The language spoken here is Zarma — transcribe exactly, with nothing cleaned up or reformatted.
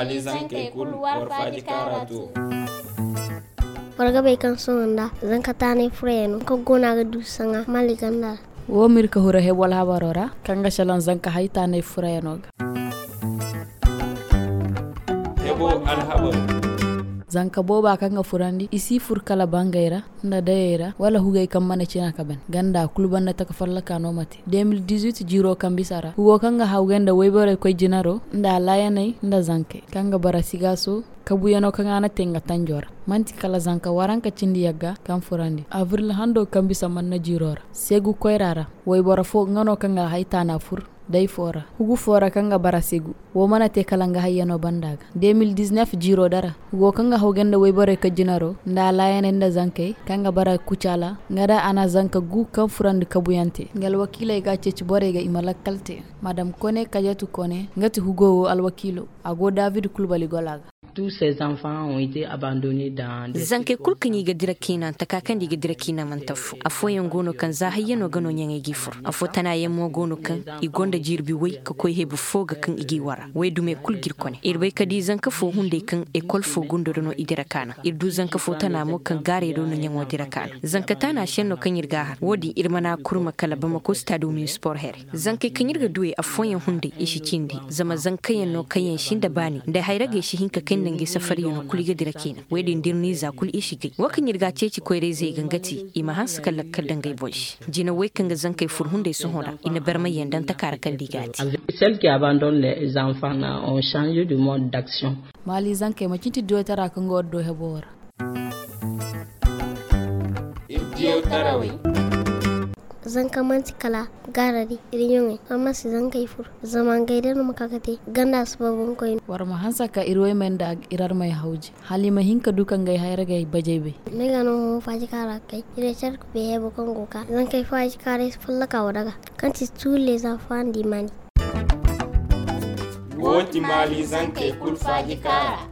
Zankey kulu war faaji kaara to. War ga bay kaŋ sohõ nda zanka taanay furayano kaŋ go no a ga du saŋa mali ganda ra. Wo ma iri ka hura hebo alhabaro ra kaŋ ga salaŋ zanka hay taanay furayano ga. Hebo alhabaro. Zanka booba kaŋ ga furandi i si fur kala bangey ra nda dayey ra wala hugey kaŋ mana cina ka ban ganda kulu banda taka fallaka no ma te. Deux mille dix-huit jiiro kaŋ bisa ra hugo kaŋ ga hawgay nda wayborey koy jinaro nda alaayaney nda zankey kaŋ ga bara sigaaso. Kabuyano kaŋ a na te nga tanjo ra manti kala zanka waranka cindi yagga kaŋ furandi abril hando kaŋ bisa manna jiiro ra seegu koyra ra. Wayboro fo nga no kaŋ ga hay taana fur day fo ra hugu fo ra kaŋ ga bara seegu. Wo mana te kala nga hayyano banda ga deux mille dix-neuf jiiro dara hugo kaŋ ga hawgay nda wayborey ka jinaro nda alaayaney nda zankey kaŋ ga bara kucaala nga da a na zanka gu kaŋ furandi kabuyaŋ te nga alwakiiley ga a ceeci borey ga i ma lakkal te. Madam kone kajatu kone nga ti hugo wo alwakiilo. A go david kulbali gola ga. Zankey kulu kaŋ i ga dira kiina taka kaŋ da i ga dira kiina manti affo. Afooyaŋ go no kaŋ za hayyano ga no ɲaŋey g'i fur. Affo tanayaŋ mo go no kaŋ i gonda jirbi way ka koy hebu fo ga kaŋ i g'i wara way dumey kulu g'iri kone iri bay ka di zanka fo hunday kaŋ ekol fo gundo do no i dira kaana. Iri du zanka fo tana mo kaŋ gaaray do no ɲaŋo dira kaana zanka tana senno kaŋ iri g'a har wo-din iri mana kurma kala bamako stado municipal here. Zankey kaŋ iri ga duwey affooyaŋ hunday i si cindi zama zankayaŋ no kaŋ yaŋ sinda baani nda hayragey si hin ka kay nda ngey safaryaŋo kulu i ga dira ciina. Wo-din da iri n'i za kulu i si gay wo kaŋ iri ga a ceeci koyrayzey ga nga ti i ma hanse ka lakkal da ngey boŋ se. Jina way kaŋ ga zankey fur hunday sohõ ra i na barmayyaŋ daŋ taka ra kaŋ da i ga a te. Celle qui abandonne les enfants ont changé du mode d'action. Maali zankey ma cinti diyootara kaŋ go addo hebo ra. Iri diyaw tarawey. Zanka manti kala gaarari iri ɲoŋey amma si zankey fur zama ngey day no ma ka ga te ganda si ba boŋkoyne. War ma hanse ka iri waymey nda iri armey hawji hala i ma hin ka du ka ngey hayragey bajey bay. Ni ga no hõ faaji kaara ga kay iri care ka bay hebo kaŋ go ga ka zankey faaji kaaray si follaka wara ga kaŋ ti tuule za fandi mani. Wo ti maali zankey kulu faaji kaara.